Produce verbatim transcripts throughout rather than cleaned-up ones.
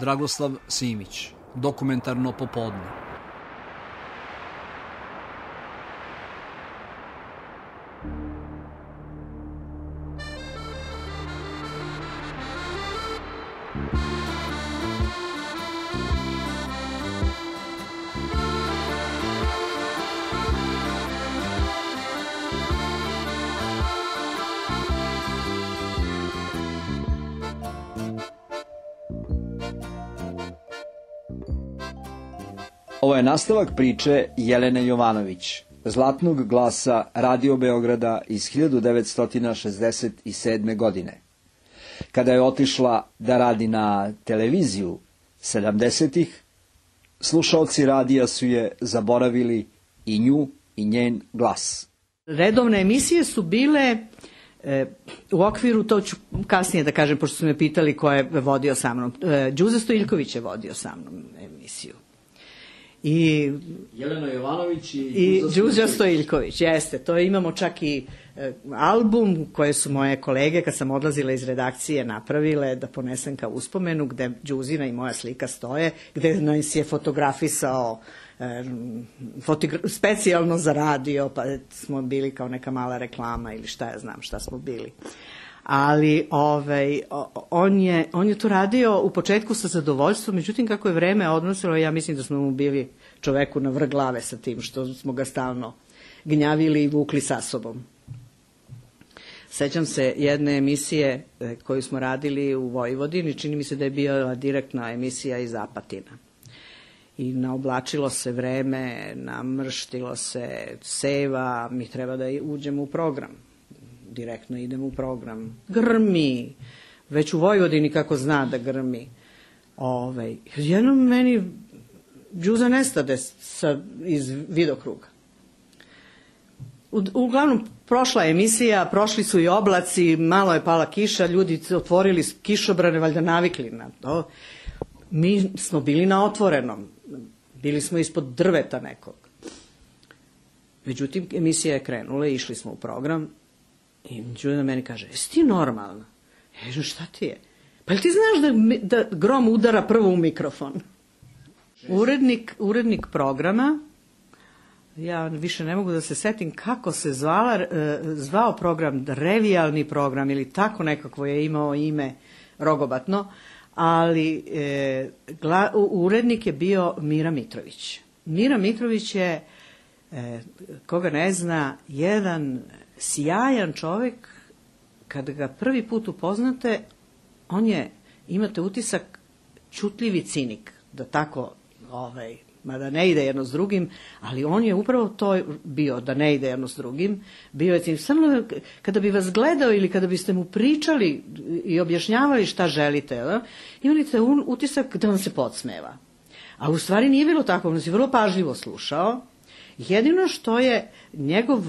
Dragoslav Simić, Dokumentarno popodne. Ovo je nastavak priče Jelene Jovanović, zlatnog glasa Radio Beograda iz hiljadu devetsto šezdeset sedme. godine. Kada je otišla da radi na televiziju sedamdesetih, slušaoci radija su je zaboravili i nju i njen glas. Redovne emisije su bile e, u okviru, to ću kasnije da kažem, pošto su me pitali ko je vodio sa mnom. E, Đuza Stojiljković je vodio sa mnom emisiju. I Jelena Jovanović i, i Đuđa Stojiljković, jeste, to imamo čak i e, album koje su moje kolege kad sam odlazila iz redakcije napravile da ponesem kao uspomenu, gde Đuzina i moja slika stoje, gde nas je fotografisao e, fotogra specijalno za radio, pa smo bili kao neka mala reklama ili šta ja znam šta smo bili. Ali ovaj, on, je, on je to radio u početku sa zadovoljstvom, međutim kako je vreme odnosilo, ja mislim da smo mu bili čoveku na vrh glave sa tim što smo ga stalno gnjavili i vukli sa sobom. Sećam se jedne emisije koju smo radili u Vojvodini, čini mi se da je bila direktna emisija iz Apatina. I naoblačilo se vreme, namrštilo se seva, mi treba da uđemo u program. Direktno idemo u program. Grmi. Već u Vojvodini kako zna da grmi. Ove, jednom meni Đuza nestade sa, iz vidokruga. U, uglavnom, prošla emisija, prošli su i oblaci, malo je pala kiša, ljudi otvorili kišobrane, valjda navikli na to. Mi smo bili na otvorenom. Bili smo ispod drveta nekog. Međutim, emisija je krenula i išli smo u program. I Đuda meni kaže, jesi ti normalna? Ja kažem, šta ti je? Pa li ti znaš da, da grom udara prvo u mikrofon? Urednik, urednik programa, ja više ne mogu da se setim kako se zvala, zvao program, revijalni program ili tako nekako je imao ime rogobatno, ali e, gla, urednik je bio Mira Mitrović. Mira Mitrović je, e, koga ne zna, jedan sjajan čovek, kada ga prvi put upoznate, on je, imate utisak, ćutljivi cinik, da tako, ovaj, mada ne ide jedno s drugim, ali on je upravo to bio, da ne ide jedno s drugim, bio je cinik. Samo kada bi vas gledao ili kada biste mu pričali i objašnjavali šta želite, da, imali ste utisak da vam se podsmeva. A u stvari nije bilo tako, on se vrlo pažljivo slušao. Jedino što je njegov,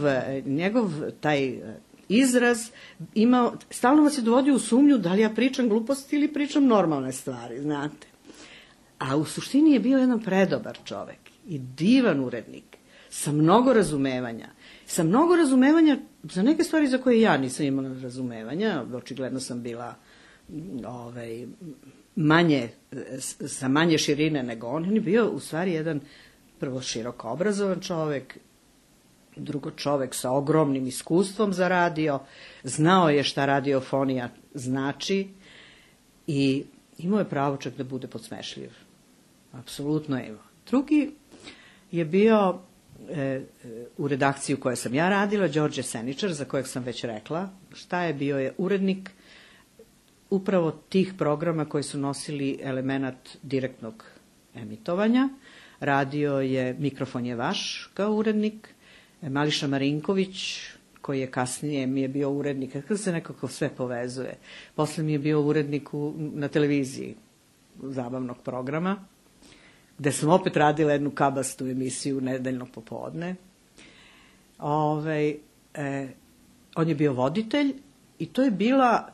njegov taj izraz imao, stalno vas je dovodio u sumnju da li ja pričam gluposti ili pričam normalne stvari, znate. A u suštini je bio jedan predobar čovek i divan urednik, sa mnogo razumevanja. Sa mnogo razumevanja za neke stvari za koje ja nisam imala razumevanja, očigledno sam bila ovaj, manje, sa manje širine nego on. On je bio u stvari jedan prvo široko obrazovan čovek, drugo čovek sa ogromnim iskustvom za radio, znao je šta radiofonija znači i imao je pravo čak da bude podsmešljiv. Apsolutno je imao. Drugi je bio e, u redakciji u kojoj sam ja radila, Đorđe Seničar, za kojeg sam već rekla šta je, bio je urednik upravo tih programa koji su nosili element direktnog emitovanja. Radio je Mikrofon je vaš kao urednik, Mališa Marinković, koji je kasnije mi je bio urednik, kako se nekako sve povezuje. Posle mi je bio urednik u, na televiziji zabavnog programa, gde sam opet radila jednu kabastu emisiju nedeljno popodne. Ove, e, on je bio voditelj i to je bila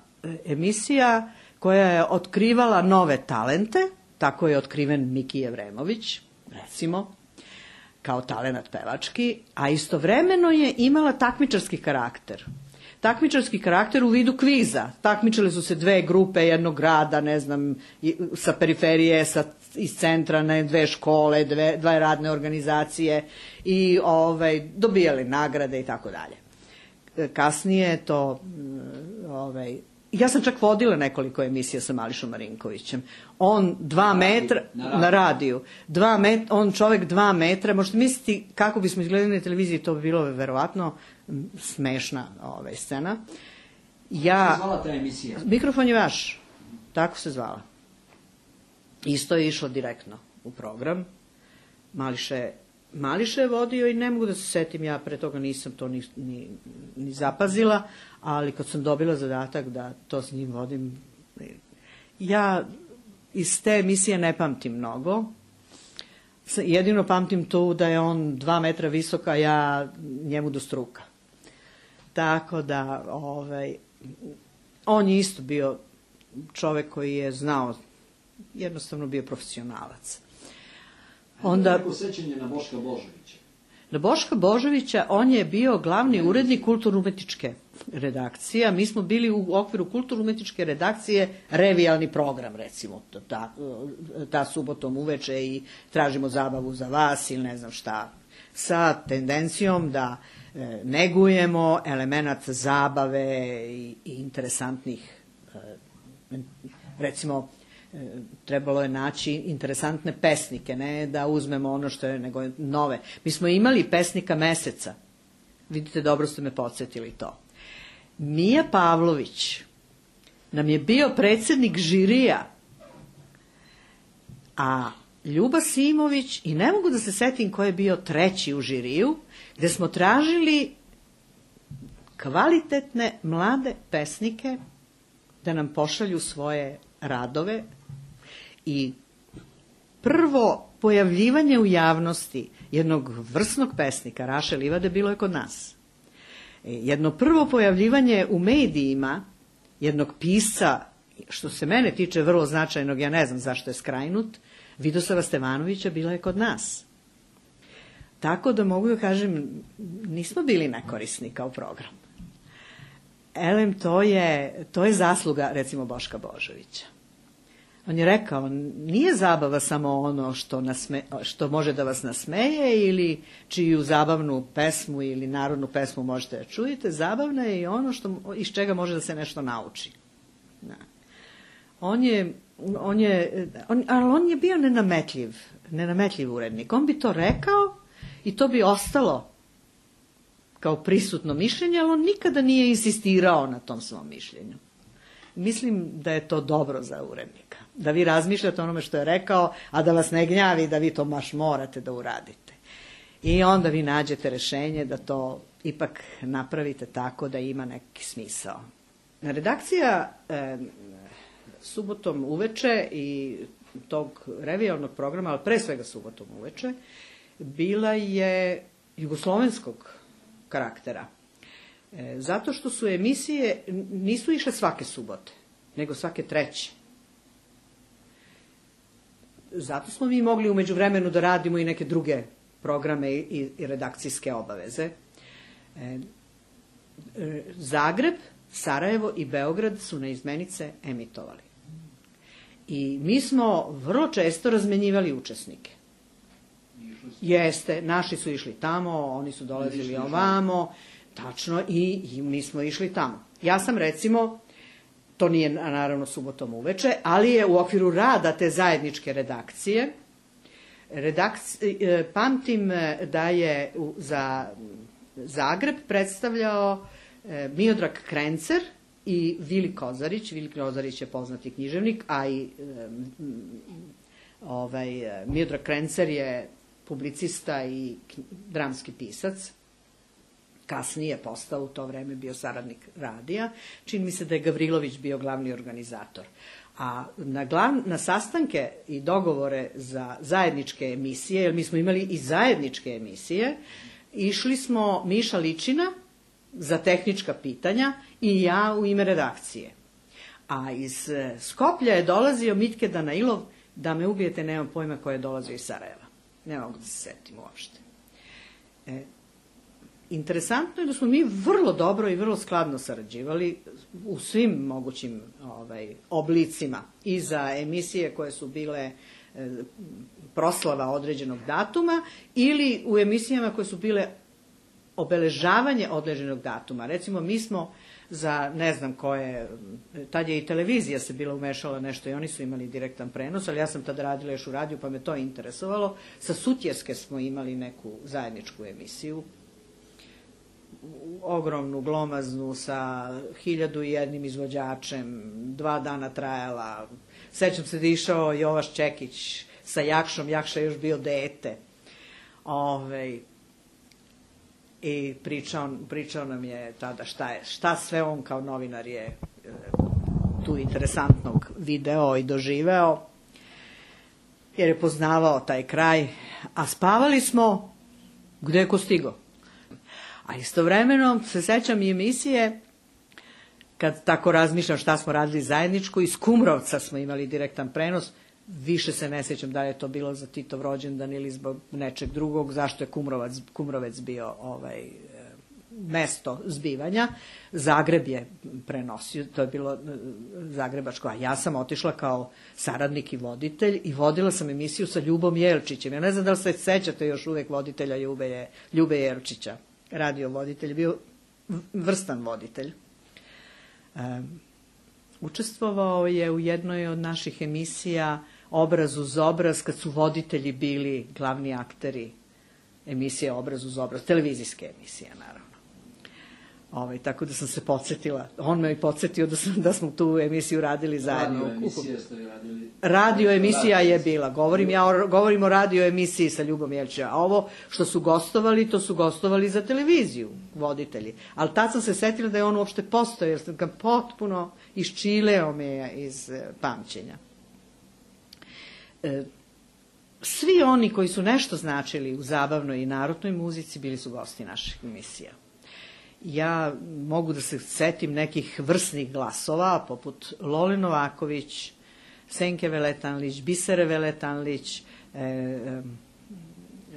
emisija koja je otkrivala nove talente, tako je otkriven Miki Jevremović, recimo, kao talenat pevački, a istovremeno je imala takmičarski karakter. takmičarski karakter u vidu kviza. Takmičile su se dve grupe jednog grada, ne znam, sa periferije, sa, iz centra, ne, dve škole, dve, dve radne organizacije i ovaj, dobijali nagrade i tako dalje. Kasnije to, ovaj, ja sam čak vodila nekoliko emisija sa Mališom Marinkovićem. On dva metra, na radiju, na radiju dva met, on čovek dva metra, možete misliti kako bismo izgledali na televiziji, to bi bilo verovatno smešna ovaj, scena. Ja, kako se zvala ta emisija? Mikrofon je vaš, tako se zvala. Isto je išlo direktno u program. Mališe, Mališe je vodio i ne mogu da se setim, ja pre toga nisam to ni, ni, ni zapazila, ali kad sam dobila zadatak da to s njim vodim, ja iz te emisije ne pamtim mnogo. Jedino pamtim to da je on dva metra visok, a ja njemu do struka. Tako da, ovaj, on je isto bio čovek koji je znao, jednostavno bio profesionalac. Onda neko sećanje na Boška Božovića. Na Boška Božovića, on je bio glavni urednik kulturno-umetničke redakcije. Mi smo bili u okviru kulturno-umetničke redakcije revijalni program, recimo, ta, ta subotom uveče i tražimo zabavu za vas ili ne znam šta, sa tendencijom da e, negujemo element zabave i, i interesantnih, e, recimo, trebalo je naći interesantne pesnike, ne da uzmemo ono što je, nego nove. Mi smo imali pesnika meseca. Vidite, dobro ste me podsjetili to. Mija Pavlović nam je bio predsednik žirija, a Ljuba Simović, i ne mogu da se setim ko je bio treći u žiriju, gde smo tražili kvalitetne mlade pesnike da nam pošalju svoje radove. I prvo pojavljivanje u javnosti jednog vrsnog pesnika, Raše Livade, bilo je kod nas. Jedno prvo pojavljivanje u medijima jednog pisca, što se mene tiče vrlo značajnog, ja ne znam zašto je skrajnut, Vidoslava Stevanovića, bila je kod nas. Tako da mogu da kažem, nismo bili nekorisni kao program. Elem, to je, to je zasluga, recimo, Boška Božovića. On je rekao, nije zabava samo ono što, nasme, što može da vas nasmeje ili čiju zabavnu pesmu ili narodnu pesmu možete da čujete, zabavna je i ono što, iz čega može da se nešto nauči. Da. On je, on je, on, ali on je bio nenametljiv, nenametljiv urednik. On bi to rekao i to bi ostalo kao prisutno mišljenje, ali on nikada nije insistirao na tom svom mišljenju. Mislim da je to dobro za urednika. Da vi razmišljate onome što je rekao, a da vas ne gnjavi da vi to baš morate da uradite. I onda vi nađete rešenje da to ipak napravite tako da ima neki smisao. Redakcija e, subotom uveče i tog revijalnog programa, ali pre svega subotom uveče, bila je jugoslovenskog karaktera. E, zato što su emisije, nisu išle svake subote, nego svake treće. Zato smo mi mogli umeđu vremenu da radimo i neke druge programe i, i redakcijske obaveze. E, e, Zagreb, Sarajevo i Beograd su na izmenice emitovali. I mi smo vrlo često razmenjivali učesnike. Jeste, naši su išli tamo, oni su dolazili ovamo, tačno, i, i mi smo išli tamo. Ja sam, recimo, to nije naravno subotom uveče, ali je u okviru rada te zajedničke redakcije, redakci, pamtim da je za Zagreb predstavljao Miodrag Krencer i Vili Kozarić. Vili Kozarić je poznati književnik, a i ovaj, Miodrag Krencer je publicista i dramski pisac. Kasnije je postao, u to vreme bio saradnik radija. Čini mi se da je Gavrilović bio glavni organizator. A na, glav, na sastanke i dogovore za zajedničke emisije, jer mi smo imali i zajedničke emisije, išli smo Miša Ličina za tehnička pitanja i ja u ime redakcije. A iz Skoplja je dolazio Mitke Danailov, da me ubijete, nemam pojma, ko je dolazio iz Sarajeva. Ne mogu da se setim uopšte. E, interesantno je da smo mi vrlo dobro i vrlo skladno sarađivali u svim mogućim ovaj, oblicima. I za emisije koje su bile e, proslava određenog datuma ili u emisijama koje su bile obeležavanje određenog datuma. Recimo, mi smo za ne znam koje, tad je i televizija se bila umešala nešto i oni su imali direktan prenos, ali ja sam tada radila još u radiju pa me to interesovalo. Sa Sutjeske smo imali neku zajedničku emisiju, ogromnu, glomaznu, sa hiljadu i jednim izvođačem, dva dana trajala. Sećam se da je išao Jovaš Čekić sa Jakšom, Jakša je još bio dete. Ove, I pričao, pričao nam je tada šta je, šta sve on kao novinar je e, tu interesantnog video i doživeo, jer je poznavao taj kraj, a spavali smo gde je ko stigo. A istovremeno se sećam i emisije, kad tako razmišljam šta smo radili zajedničko, iz Kumrovca smo imali direktan prenos, više se ne sjećam da li je to bilo za Titov rođendan ili zbog nečeg drugog, zašto je Kumrovac, Kumrovec bio ovaj, mesto zbivanja. Zagreb je prenosio, to je bilo zagrebačko, a ja sam otišla kao saradnik i voditelj i vodila sam emisiju sa Ljubom Jelčićem. Ja ne znam da li se sećate još uvek voditelja Ljube, Ljube Jelčića, radio voditelj, bio vrstan voditelj. Um, Učestvovao je u jednoj od naših emisija Obraz uz obraz, kad su voditelji bili glavni akteri emisije Obraz uz obraz, televizijske emisije, naravno. Ove, tako da sam se podsjetila, on me i podsjetio da, sam, da smo tu emisiju radili zajedno. Radio emisija ste radili? Radio emisija je bila, govorim, ja govorim o radio emisiji sa Ljubom Jelčićem, a ovo što su gostovali, to su gostovali za televiziju, voditelji. Ali tad sam se setila da je on uopšte postojao, jer sam ga potpuno iščileo me iz e, pamćenja. E, svi oni koji su nešto značili u zabavnoj i narodnoj muzici bili su gosti naših emisija. Ja mogu da se setim nekih vrsnih glasova, poput Lole Novaković, Senke Veletanlić, Bisere Veletanlić, e, e,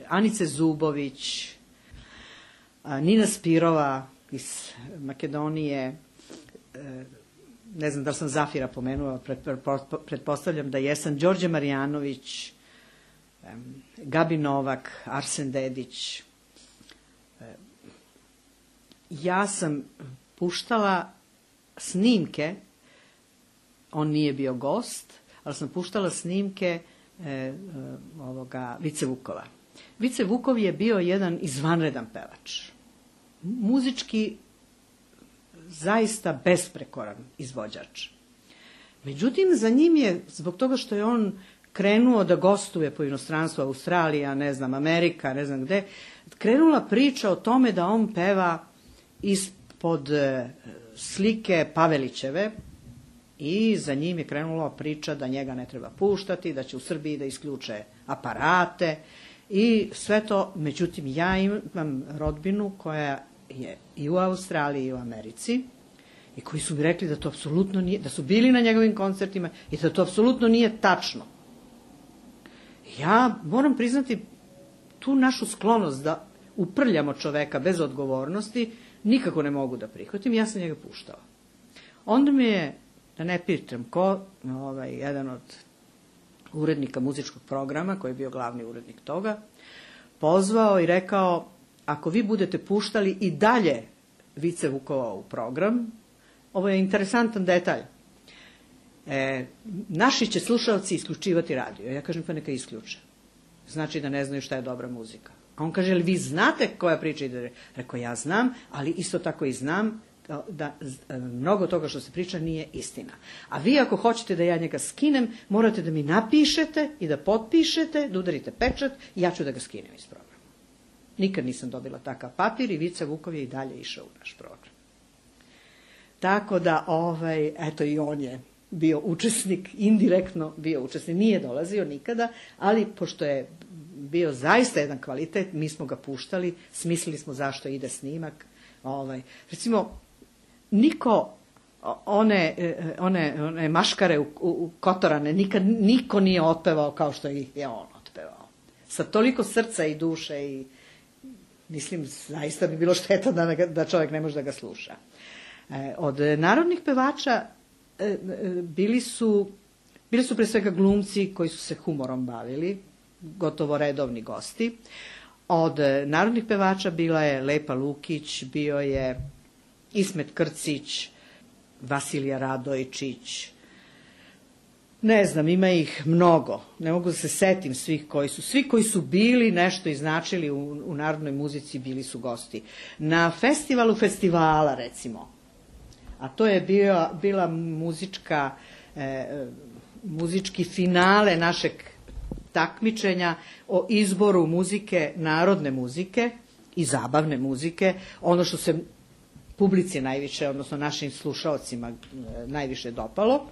Anice Zubović, a, Nina Spirova iz Makedonije, e, ne znam da li sam Zafira pomenula, pred, pretpostavljam da jesam, Đorđe Marjanović, e, Gabi Novak, Arsen Dedić. E, ja sam puštala snimke, on nije bio gost, ali sam puštala snimke e, e, ovoga Vice Vukova. Vice Vukov je bio jedan izvanredan pevač. Muzički zaista besprekoran izvođač. Međutim, za njim je, zbog toga što je on krenuo da gostuje po inostranstvu, Australija, ne znam, Amerika, ne znam gde, krenula priča o tome da on peva ispod e, slike Pavelićeve, i za njim je krenula priča da njega ne treba puštati, da će u Srbiji da isključe aparate i sve to. Međutim, ja imam rodbinu koja je i u Australiji i u Americi i koji su mi rekli da to apsolutno nije, da su bili na njegovim koncertima i da to apsolutno nije tačno. Ja moram priznati tu našu sklonost da uprljamo čoveka bez odgovornosti, nikako ne mogu da prihvatim, ja sam njega puštala. Onda mi je, da ne pitam ko, ovaj, jedan od urednika muzičkog programa, koji je bio glavni urednik toga, pozvao i rekao, ako vi budete puštali i dalje Vice Vukova u program, ovo je interesantan detalj, e, naši će slušalci isključivati radio. Ja kažem, pa neka isključe. Znači da ne znaju šta je dobra muzika. A on kaže, ali vi znate koja priča ide? Rekao, ja znam, ali isto tako i znam da mnogo toga što se priča nije istina. A vi ako hoćete da ja njega skinem, morate da mi napišete i da potpišete, da udarite pečat i ja ću da ga skinem iz programa. Nikad nisam dobila takav papir i Vice Vukov je i dalje išao u naš program. Tako da, ovaj, eto i on je bio učesnik, indirektno bio učesnik, nije dolazio nikada, ali pošto je bio zaista jedan kvalitet, mi smo ga puštali, smislili smo zašto ide snimak. Ovaj, recimo, niko one, one, one maškare u, u Kotorane nikad niko nije otpevao kao što ih je on otpevao. Sa toliko srca i duše i mislim, zaista bi bilo šteta da, da čovjek ne može da ga sluša. E, od narodnih pevača e, bili su, bili su pre svega glumci koji su se humorom bavili, gotovo redovni gosti. Od narodnih pevača bila je Lepa Lukić, bio je Ismet Krcić, Vasilija Radojčić, ne znam, ima ih mnogo, ne mogu da se setim svih koji su, svi koji su bili nešto i značili u, u narodnoj muzici bili su gosti. Na festivalu festivala, recimo, a to je bio, bila muzička, e, muzički finale našeg takmičenja o izboru muzike, narodne muzike i zabavne muzike, ono što se publici najviše, odnosno našim slušaocima najviše dopalo.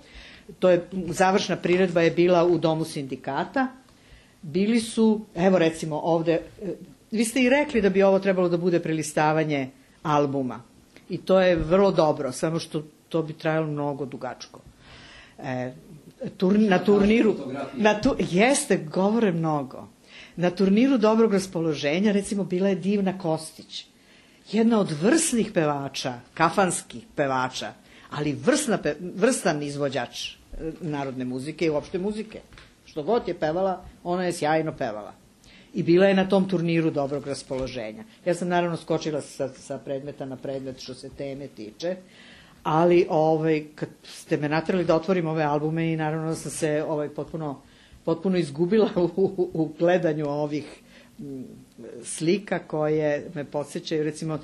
To je, završna priredba je bila u Domu sindikata. Bili su, evo recimo ovde, vi ste i rekli da bi ovo trebalo da bude prelistavanje albuma. I to je vrlo dobro, samo što to bi trajalo mnogo dugačko. E, tur, na turniru, na tu, jeste, govore mnogo. Na turniru dobrog raspoloženja, recimo, bila je Divna Kostić. Jedna od vrsnih pevača, kafanskih pevača, ali vrsna, vrstan izvođač narodne muzike i uopšte muzike. Što god je pevala, ona je sjajno pevala. I bila je na tom turniru dobrog raspoloženja. Ja sam naravno skočila sa, sa predmeta na predmet što se teme tiče, ali ovaj, kad ste me naterali da otvorim ove albume i naravno sam se ovaj, potpuno, potpuno izgubila u, u, u gledanju ovih m, slika koje me podsjećaju. Recimo,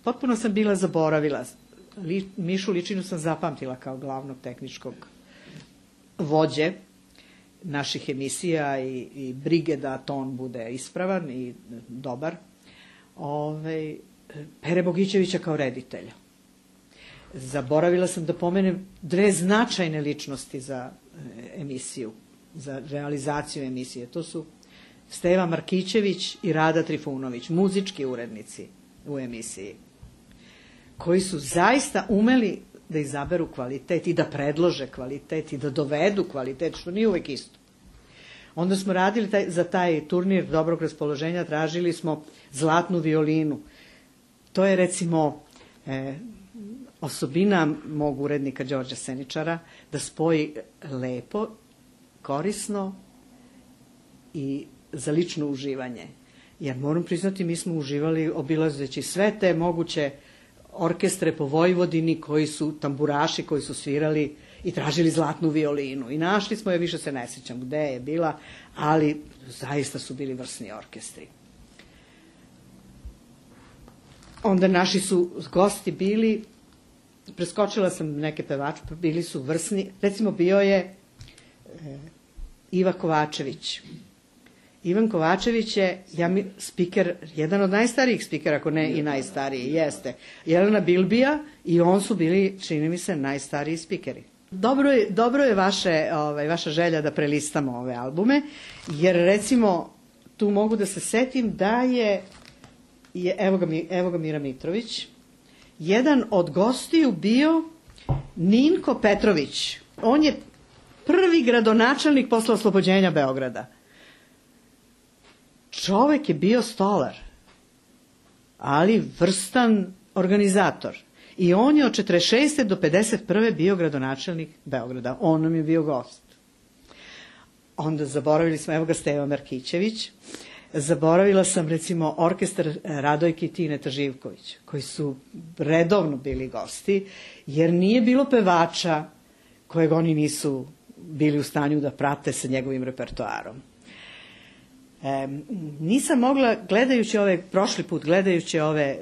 potpuno sam bila zaboravila. Li, Mišu Ličinu sam zapamtila kao glavnog tehničkog vođe naših emisija i, i brige da ton bude ispravan i dobar. Ove, Pere Bogićevića kao reditelja. Zaboravila sam da pomenem dve značajne ličnosti za emisiju, za realizaciju emisije. To su Steva Markićević i Rada Trifunović, muzički urednici u emisiji, koji su zaista umeli da izaberu kvalitet i da predlože kvalitet i da dovedu kvalitet, što nije uvek isto. Onda smo radili taj, za taj turnir dobrog raspoloženja, tražili smo zlatnu violinu. To je recimo e, osobina mog urednika Đorđa Seničara, da spoji lepo, korisno i za lično uživanje. Jer moram priznati, mi smo uživali obilazeći sve te moguće orkestre po Vojvodini koji su tamburaši, koji su svirali i tražili zlatnu violinu. I našli smo je, više se ne sjećam gde je bila, ali zaista su bili vrsni orkestri. Onda naši su gosti bili, preskočila sam neke pevače, bili su vrsni, recimo bio je e, Iva Kovačević. Ivan Kovačević je ja mi, spiker, jedan od najstarijih spikera, ako ne i najstariji, jeste. Jelena Bilbija i on su bili, čini mi se, najstariji spikeri. Dobro je, dobro je vaše, ovaj, vaša želja da prelistamo ove albume, jer recimo tu mogu da se setim da je, je evo, ga, evo ga Mira Mitrović, jedan od gostiju bio Ninko Petrović. On je prvi gradonačelnik posle oslobođenja Beograda. Čovek je bio stolar, ali vrstan organizator. I on je od četrdeset šeste do pedeset prve bio gradonačelnik Beograda. On nam je bio gost. Onda zaboravili smo, evo ga Steva Markićević, zaboravila sam recimo orkestar Radojke i Tineta Živković, koji su redovno bili gosti, jer nije bilo pevača kojeg oni nisu bili u stanju da prate sa njegovim repertoarom. E, nisam mogla, gledajući ove, prošli put gledajući ove e,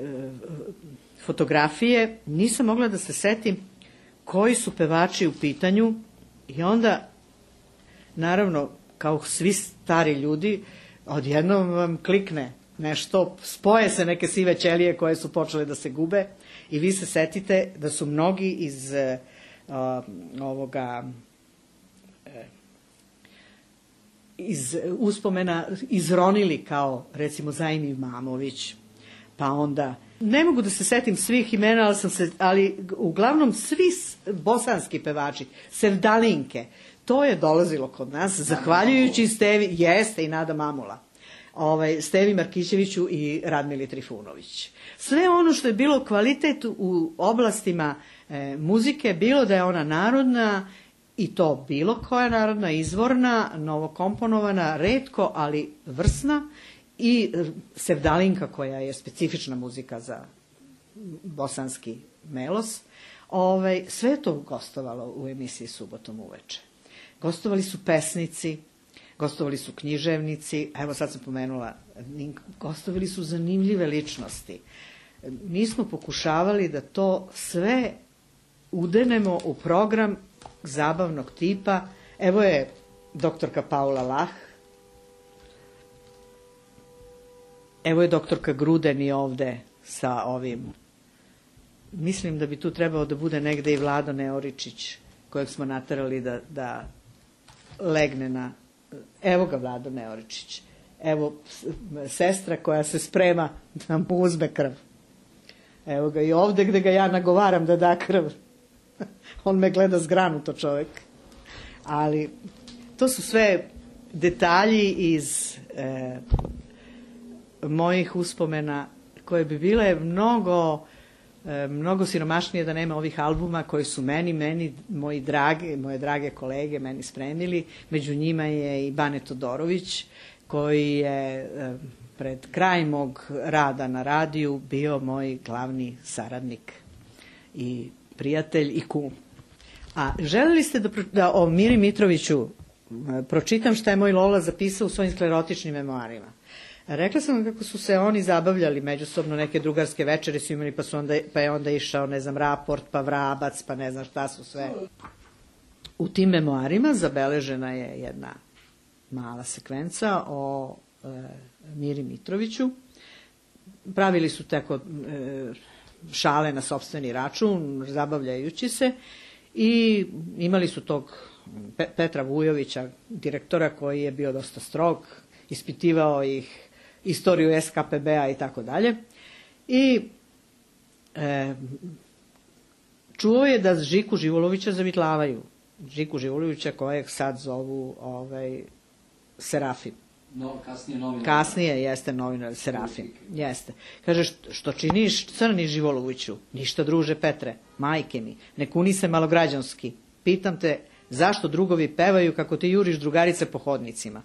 fotografije, nisam mogla da se setim koji su pevači u pitanju i onda, naravno, kao svi stari ljudi, odjednom vam klikne nešto, spoje se neke sive ćelije koje su počele da se gube i vi se setite da su mnogi iz uh, ovoga uh, iz uspomena izronili, kao recimo Zajim Imamović, pa onda ne mogu da se setim svih imena, ali, sam se, ali uglavnom svi bosanski pevači, Sevdalinke, to je dolazilo kod nas, zahvaljujući Stevi, jeste i Nada Mamula. ovaj, Stevi Markićeviću i Radmili Trifunović. Sve ono što je bilo kvalitet u oblastima e, muzike, bilo da je ona narodna, i to bilo koja narodna, izvorna, novokomponovana, retko, ali vrsna, i sevdalinka koja je specifična muzika za bosanski melos. Ovaj, sve je to gostovalo u emisiji Subotom uveče. Gostovali su pesnici, gostovali su književnici, evo sad sam pomenula, gostovali su zanimljive ličnosti. Mi smo pokušavali da to sve udenemo u program zabavnog tipa. Evo je doktorka Paula Lah, evo je doktorka Grudeni ovde sa ovim. Mislim da bi tu trebao da bude negde i Vlado Neoričić, kojeg smo naterali da, da legne na... Evo ga Vlado Neoričić. Evo sestra koja se sprema da mu uzme krv. Evo ga i ovde gde ga ja nagovaram da da krv. On me gleda zgranuto čovek. Ali to su sve detalji iz e, mojih uspomena koje bi bile mnogo... mnogo siromašnije da nema ovih albuma koji su meni, meni, moji drage, moje drage kolege meni spremili. Među njima je i Bane Todorović, koji je pred kraj mog rada na radiju bio moj glavni saradnik i prijatelj i kum. A želeli ste da, da o Miri Mitroviću pročitam šta je moj Lola zapisao u svojim sklerotičnim memoarima. Rekla sam kako su se oni zabavljali međusobno, neke drugarske večere su imali, pa, su onda, pa je onda išao, ne znam, Raport, pa Vrabac, pa ne znam šta su sve. U tim memoarima zabeležena je jedna mala sekvenca o e, Miri Mitroviću. Pravili su tako e, šale na sopstveni račun, zabavljajući se, i imali su tog Pe, Petra Vujovića, direktora, koji je bio dosta strog, ispitivao ih istoriju es ka pe be-a i tako dalje. I e, čuo je da Žiku Živolovića zavitlavaju. Žiku Živolovića kojeg sad zovu ovaj, Serafim. No, kasnije novinar. Kasnije jeste novinar Serafim. Jeste. Kaže, što, što činiš Crni Živoloviću? Ništa, druže Petre, majke mi, ne kuni se malograđanski. Pitam te, zašto drugovi pevaju kako ti juriš drugarice po hodnicima?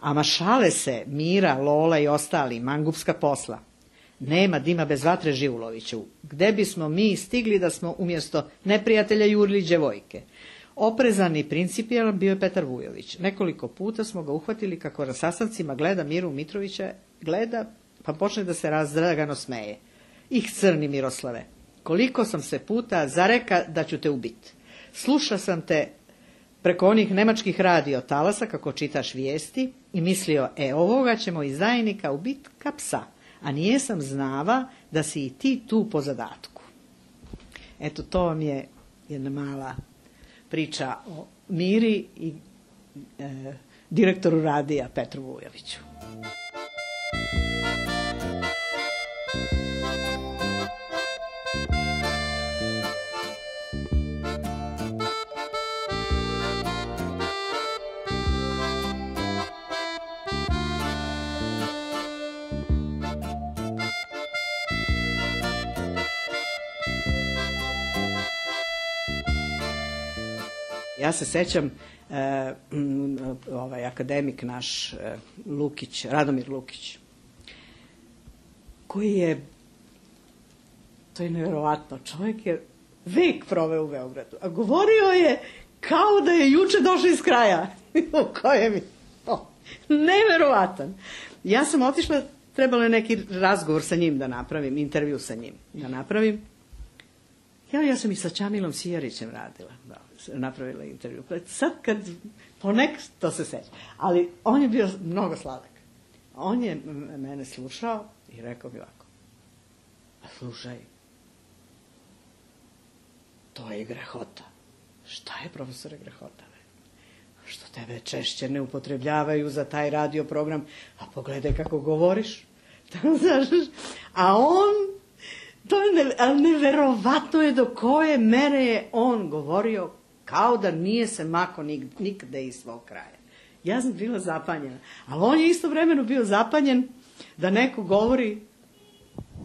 Ama šale se Mira, Lola i ostali, mangupska posla. Nema dima bez vatre, Živuloviću. Gde bismo mi stigli da smo umjesto neprijatelja jurili djevojke? Oprezan i principijalan bio je Petar Vujović. Nekoliko puta smo ga uhvatili kako na sastancima gleda Miru Mitrovića, gleda, pa počne da se razdragano smeje. Ih, crni Miroslave, koliko sam se puta zareka da ću te ubiti. Sluša sam te preko onih nemačkih radio talasa kako čitaš vijesti i mislio, e, ovoga ćemo izdajnika ubiti ka psa, a nijesam znava da si i ti tu po zadatku. Eto, to vam je jedna mala priča o Miri i e, direktoru radija Petru Vujoviću. Ja se sećam, e, ovaj akademik naš e, Lukić, Radomir Lukić, koji je, to je nevjerovatno, čovjek je vek proveo u Beogradu, a govorio je kao da je juče došao iz kraja u kojem je, oh, nevjerovatan. Ja sam otišla, trebalo je neki razgovor sa njim da napravim, intervju sa njim da napravim. Ja, ja sam i sa Čamilom Sijarićem radila, da, napravila intervju. Sad kad, ponek to se seća, ali on je bio mnogo sladak. On je mene slušao i rekao mi ovako, a slušaj, to je grehota. Šta je, profesore, grehota? Što tebe češće ne upotrebljavaju za taj radio program, a pogledaj kako govoriš. A on, to je ne, ali neverovatno je do koje mere je on govorio kao da nije se mako nik, nikde iz svog kraja. Ja sam bila zapanjena. Ali on je istovremeno bio zapanjen da neko govori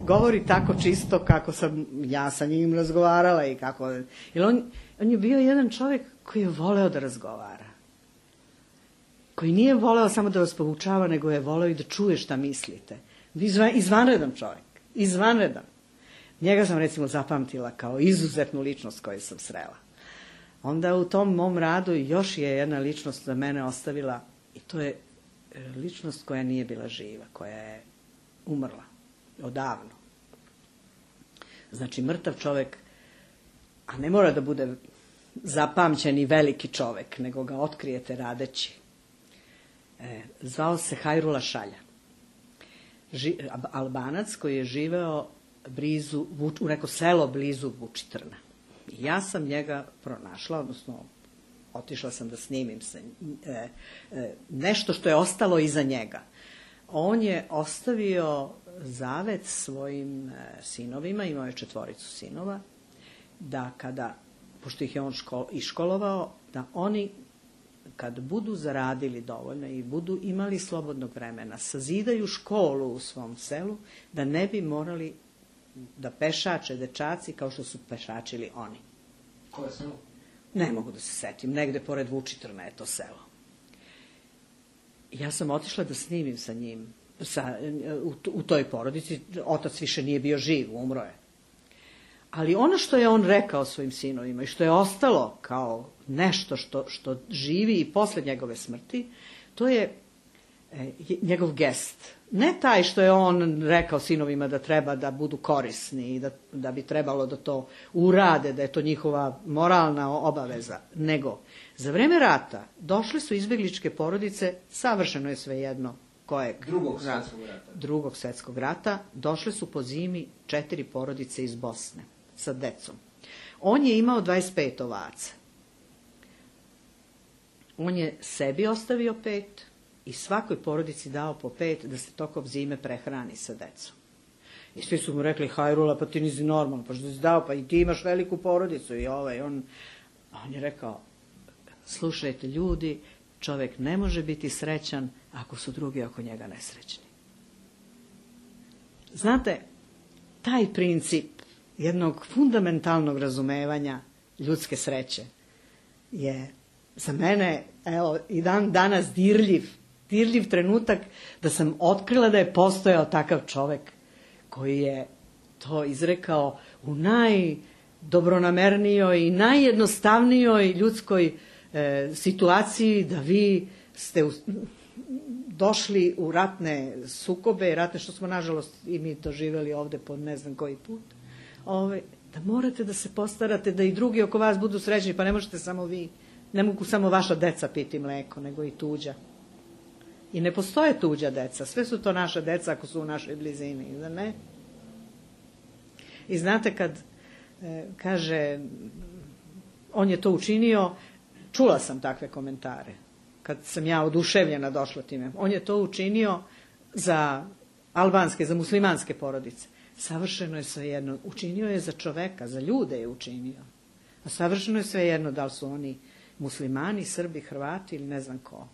govori tako čisto kako sam ja sa njim razgovarala i kako... Jer on, on je bio jedan čovjek koji je voleo da razgovara. Koji nije voleo samo da vas poučava, nego je voleo i da čuje šta mislite. Izvan, izvanredan čovjek. Izvanredan. Njega sam recimo zapamtila kao izuzetnu ličnost koju sam srela. Onda u tom mom radu još je jedna ličnost za mene ostavila, i to je ličnost koja nije bila živa, koja je umrla odavno. Znači mrtav čovjek, a ne mora da bude zapamćen i veliki čovjek, nego ga otkrijete radeći. E, zvao se Hajrula Šalja. Ži, Albanac koji je živeo blizu, u neko selo blizu Vučitrna. I ja sam njega pronašla, odnosno otišla sam da snimim se, e, e, nešto što je ostalo iza njega. On je ostavio zavet svojim e, sinovima, imao je četvoricu sinova, da kada, pošto ih je on škol, iškolovao, da oni kad budu zaradili dovoljno i budu imali slobodnog vremena, sazidaju školu u svom selu, da ne bi morali da pešače dečaci kao što su pešačili oni. Koje selo? Ne mogu da se setim, negde pored Vučitrna je to selo. Ja sam otišla da snimim sa njim, sa, u, u toj porodici, otac više nije bio živ, umro je. Ali ono što je on rekao svojim sinovima i što je ostalo kao nešto što, što živi i posle njegove smrti, to je e, njegov gest. Ne taj što je on rekao sinovima da treba da budu korisni i da, da bi trebalo da to urade, da je to njihova moralna obaveza, nego za vreme rata došle su izbegličke porodice, savršeno je svejedno kojeg drugog svjetskog rata. Drugog svjetskog rata, došle su po zimi četiri porodice iz Bosne sa decom. On je imao dvadeset pet ovaca. On je sebi ostavio pet i svakoj porodici dao po pet da se tokom zime prehrani sa decom. I svi su mu rekli, Hajrula, pa ti nisi normalno, pa što si dao, pa i ti imaš veliku porodicu i ovaj. On, on je rekao, slušajte ljudi, čovjek ne može biti srećan ako su drugi oko njega nesrećni. Znate, taj princip jednog fundamentalnog razumevanja ljudske sreće je za mene, evo, i dan danas dirljiv, dirljiv trenutak da sam otkrila da je postojao takav čovjek koji je to izrekao u najdobronamernijoj i najjednostavnijoj ljudskoj e, situaciji, da vi ste u, došli u ratne sukobe, ratne što smo nažalost i mi doživjeli ovde po ne znam koji put, ove, da morate da se postarate da i drugi oko vas budu srećni, pa ne možete samo vi. Ne mogu samo vaša deca piti mleko, nego i tuđa. I ne postoje tuđa deca, sve su to naša deca ako su u našoj blizini, da ne? I znate kad e, kaže, on je to učinio, čula sam takve komentare, kad sam ja oduševljena došla time, on je to učinio za albanske, za muslimanske porodice. Savršeno je svejedno, učinio je za čoveka, za ljude je učinio. A savršeno je svejedno da li su oni muslimani, Srbi, Hrvati ili ne znam ko.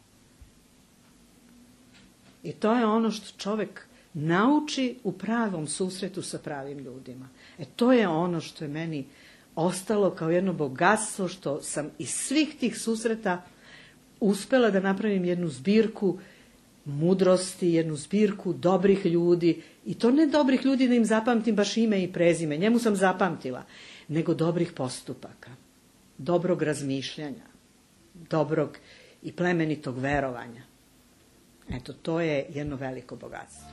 I to je ono što čovjek nauči u pravom susretu sa pravim ljudima. E to je ono što je meni ostalo kao jedno bogatstvo, što sam iz svih tih susreta uspela da napravim jednu zbirku mudrosti, jednu zbirku dobrih ljudi, i to ne dobrih ljudi da im zapamtim baš ime i prezime, njemu sam zapamtila, nego dobrih postupaka, dobrog razmišljanja, dobrog i plemenitog verovanja. Eto, to je jedno veliko bogatstvo.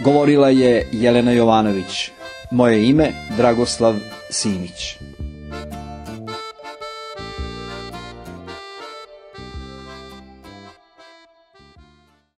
Govorila je Jelena Jovanović. Moje ime Dragoslav Simić.